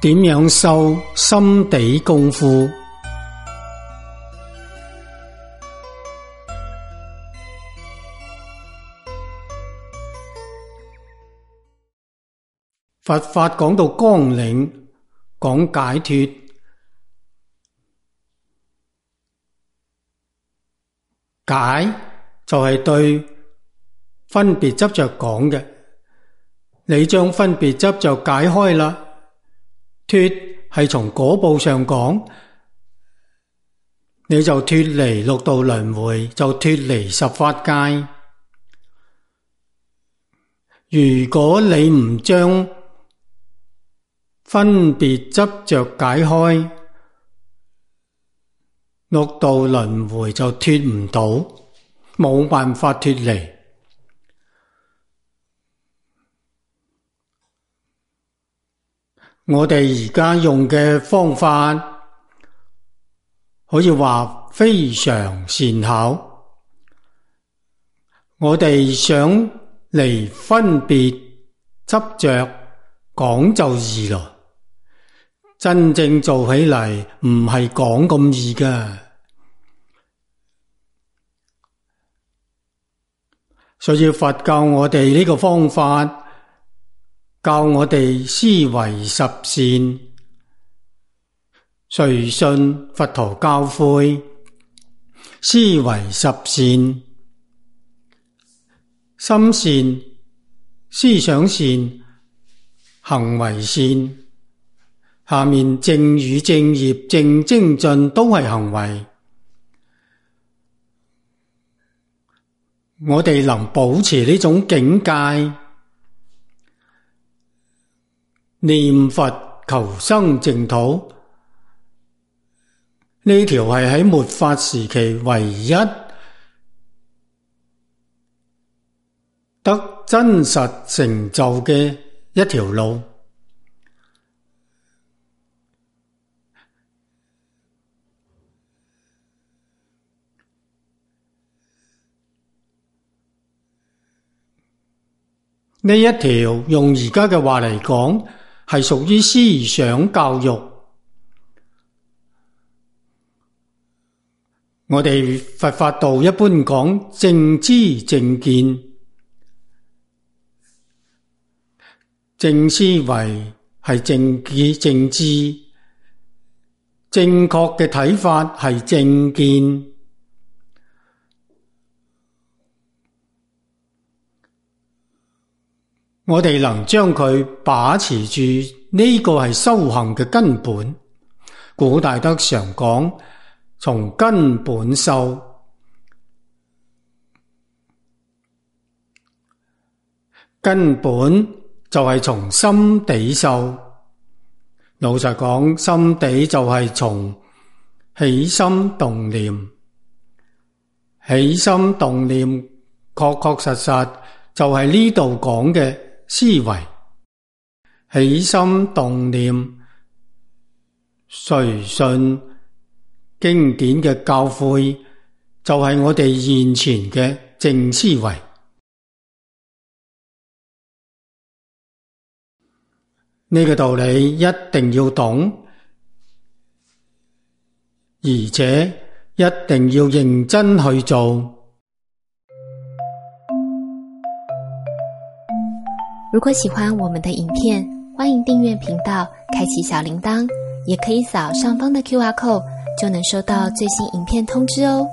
點樣修心地功夫？佛法講到綱領，講解脫，解就係對分別執着講嘅，你將分別執着解開啦。脫係從果報上講，你就脫離六道輪迴，就脫離十法界。如果你唔將分別執着解開，六道輪迴就脫唔到，冇辦法脫離。我哋而家用嘅方法可以話非常善巧，我哋想離分別執着講就易咯，真正做起嚟唔係講咁易㗎。所以佛教我哋呢個方法，教我哋思維十善，隨信佛陀教誨，思維十善，心善，思想善，行為善，下面正語正業正精進都係行為。我哋能保持呢種境界，念佛求生淨土，呢條係喺末法時期唯一得真實成就嘅一條路。呢一條用而家嘅話嚟講，係屬於思想教育。我哋佛法道一般講正知正見，正思維係正見正知，正確嘅睇法係正見。我哋能將佢把持住，呢個係修行嘅根本。古大德常講，從根本修，根本就係從心地修。老實講，心地就係從起心動念，起心動念確確實實就係呢度講嘅思維。起心動念，隨信經典嘅教誨，就係我哋現前嘅正思維。呢個道理一定要懂，而且一定要認真去做。如果喜歡我們的影片，歡迎訂閱頻道，開啟小鈴鐺，也可以掃上方的QR code，就能收到最新影片通知哦。